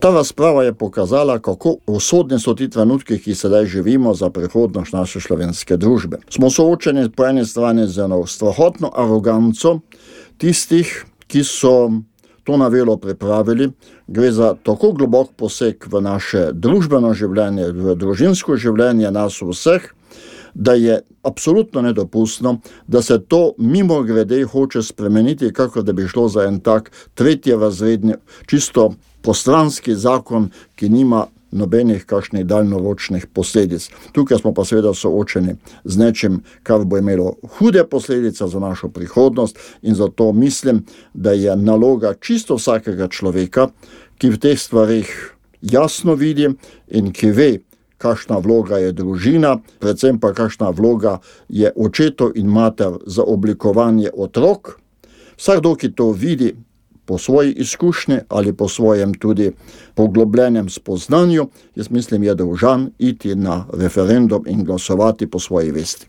Ta razprava je pokazala, kako usodni so ti trenutki, ki sedaj živimo za prihodnost naše slovenske družbe. Smo soočeni po eni strani z eno strahotno aroganco tistih, ki so to novelo pripravili. Gre za tako globok poseg v naše družbeno življenje, v družinsko življenje nas vseh, da je absolutno nedopustno, da se to mimogrede hoče spremeniti, kakor da bi šlo za en tak tretjerazredni, čisto postranski zakon, ki nima nobenih kakšnih daljnoročnih posledic. Tukaj smo pa seveda soočeni z nečim, kar bo imelo hude posledice za našo prihodnost, in zato mislim, da je naloga čisto vsakega človeka, ki v teh stvarih jasno vidi in ki ve, kakšna vloga je družina, predvsem pa kakšna vloga je očetov in mater za oblikovanje otrok. Vsakdo, ki to vidi po svoji izkušnji ali po svojem tudi poglobljenem spoznanju, jaz mislim, je dolžan iti na referendum in glasovati po svoji vesti.